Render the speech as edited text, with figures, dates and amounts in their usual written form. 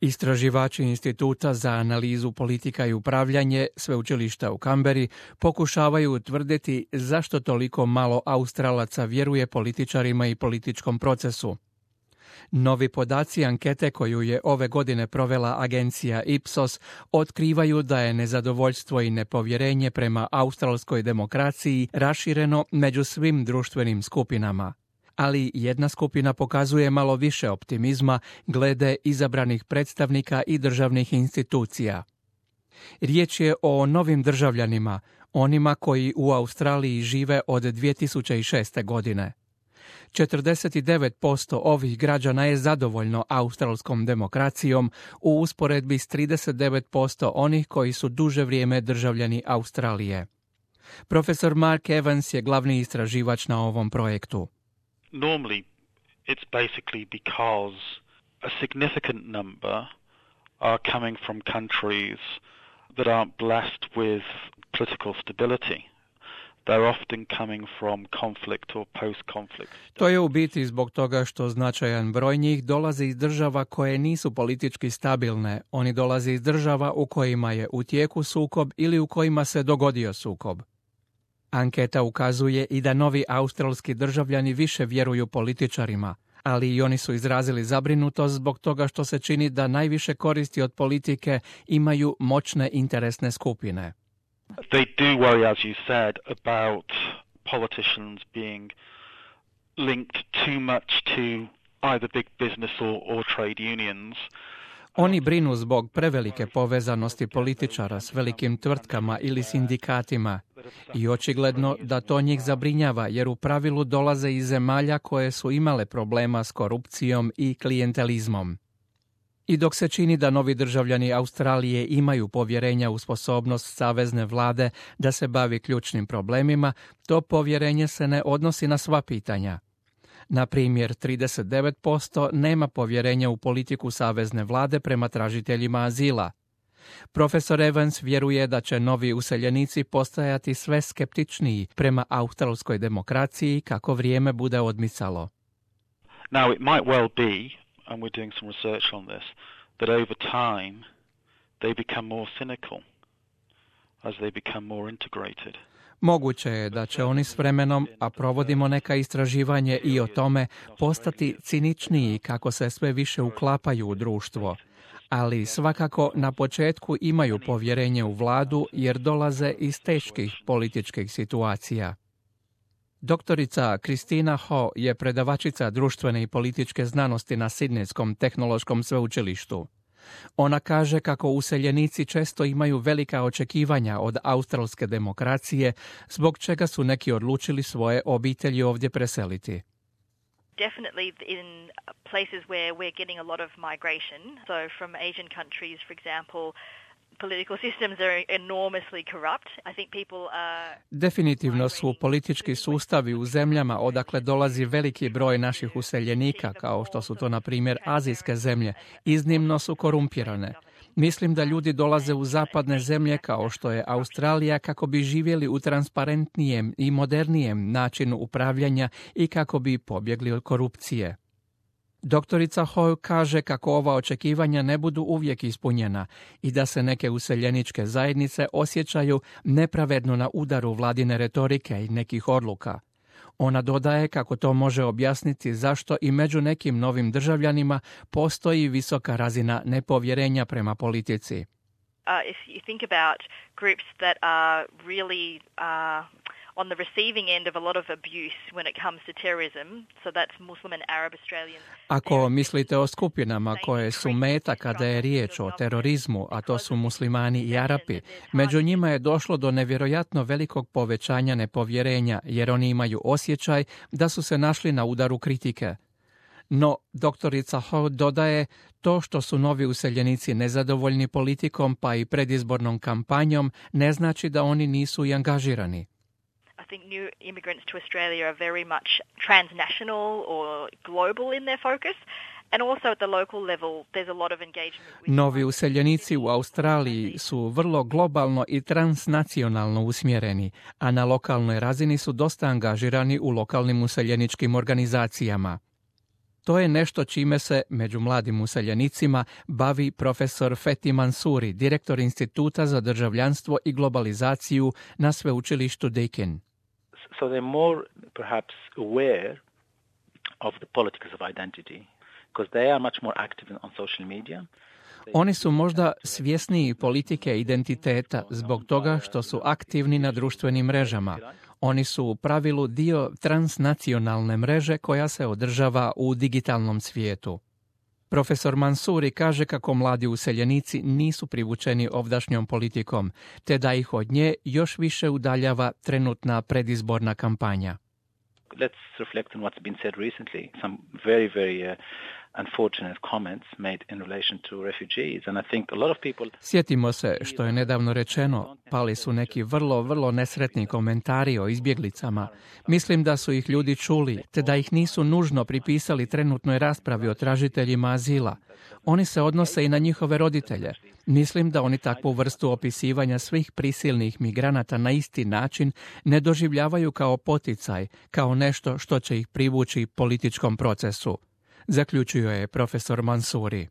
Istraživači Instituta za analizu politika i upravljanje sveučilišta u Kamberi pokušavaju utvrditi zašto toliko malo Australaca vjeruje političarima i političkom procesu. Novi podaci ankete koju je ove godine provela agencija Ipsos otkrivaju da je nezadovoljstvo i nepovjerenje prema australskoj demokraciji rašireno među svim društvenim skupinama. Ali jedna skupina pokazuje malo više optimizma glede izabranih predstavnika i državnih institucija. Riječ je o novim državljanima, onima koji u Australiji žive od 2006. godine. 49% ovih građana je zadovoljno australskom demokracijom u usporedbi s 39% onih koji su duže vrijeme državljani Australije. Profesor Mark Evans je glavni istraživač na ovom projektu. Normally, it's basically because a significant number are coming from countries that aren't blessed with political stability. They're often coming from conflict or post-conflict. To je u biti zbog toga što značajan broj njih dolazi iz država koje nisu politički stabilne. Oni dolaze iz država u kojima je u tijeku sukob ili u kojima se dogodio sukob. Anketa ukazuje i da novi australski državljani više vjeruju političarima, ali i oni su izrazili zabrinutost zbog toga što se čini da najviše koristi od politike imaju moćne interesne skupine. They do worry, as you said, about politicians being linked too much to either big business or trade unions. Oni brinu zbog prevelike povezanosti političara s velikim tvrtkama ili sindikatima i očigledno da to njih zabrinjava jer u pravilu dolaze iz zemalja koje su imale problema s korupcijom i klijentelizmom. I dok se čini da novi državljani Australije imaju povjerenja u sposobnost savezne vlade da se bavi ključnim problemima, to povjerenje se ne odnosi na sva pitanja. Na primjer, 39% nema povjerenja u politiku savezne vlade prema tražiteljima azila. Profesor Evans vjeruje da će novi useljenici postajati sve skeptičniji prema australskoj demokraciji kako vrijeme bude odmicalo. Now it might well be, and we're doing some research on this, that over time they become more cynical as they become more integrated. Moguće je da će oni s vremenom, a provodimo neka istraživanje i o tome, postati ciničniji kako se sve više uklapaju u društvo. Ali svakako na početku imaju povjerenje u vladu jer dolaze iz teških političkih situacija. Doktorica Kristina Ho je predavačica društvene i političke znanosti na Sidnejskom tehnološkom sveučilištu. Ona kaže kako useljenici često imaju velika očekivanja od australske demokracije, zbog čega su neki odlučili svoje obitelji ovdje preseliti. Definitely in places where we're getting a lot of migration, so from Asian countries, for example, political systems are enormously corrupt. I think people are... Definitivno su politički sustavi u zemljama odakle dolazi veliki broj naših useljenika, kao što su to na primjer azijske zemlje, iznimno su korumpirane. Mislim da ljudi dolaze u zapadne zemlje kao što je Australija kako bi živjeli u transparentnijem i modernijem načinu upravljanja i kako bi pobjegli od korupcije. Doktorica Hoy kaže kako ova očekivanja ne budu uvijek ispunjena i da se neke useljeničke zajednice osjećaju nepravedno na udaru vladine retorike i nekih odluka. Ona dodaje kako to može objasniti zašto i među nekim novim državljanima postoji visoka razina nepovjerenja prema politici. If you think about groups that are really on the receiving end of a lot of abuse when it comes to terrorism, so that's Muslim and Arab Australians. Ako mislite o skupinama koje su meta kada je riječ o terorizmu, a to su muslimani i Arapi, među njima je došlo do nevjerojatno velikog povećanja nepovjerenja, jer oni imaju osjećaj da su se našli na udaru kritike. No, doktorica Ho dodaje, to što su novi useljenici nezadovoljni politikom pa i predizbornom kampanjom ne znači da oni nisu i angažirani. I think new immigrants to Australia are very much transnational or global in their focus. And also at the local level, there's a lot of engagement with... Novi useljenici u Australiji su vrlo globalno i transnacionalno usmjereni, a na lokalnoj razini su dosta angažirani u lokalnim useljeničkim organizacijama. To je nešto čime se, među mladim useljenicima, bavi profesor Fethi Mansouri, direktor Instituta za državljanstvo i globalizaciju na sveučilištu Deakin. So they're more perhaps aware of the politics of identity, because they are much more active on social media. Oni su možda svjesniji politike identiteta zbog toga što su aktivni na društvenim mrežama. Oni su u pravilu dio transnacionalne mreže koja se održava u digitalnom svijetu. Profesor Mansouri kaže kako mladi useljenici nisu privučeni ovdašnjom politikom, te da ih od nje još više udaljava trenutna predizborna kampanja. Let's reflect on what's been said recently. Some very unfortunate comments made in relation to refugees, and I think a lot of people... Sjetimo se što je nedavno rečeno. Pali su neki vrlo nesretni komentari o izbjeglicama. Mislim da su ih ljudi čuli, te da ih nisu nužno pripisali trenutnoj raspravi o tražiteljima azila. Oni se odnose i na njihove roditelje. Mislim da oni takvu vrstu opisivanja svih prisilnih migranata na isti način ne doživljavaju kao poticaj, kao nešto što će ih privući političkom procesu, zaključio je profesor Mansouri.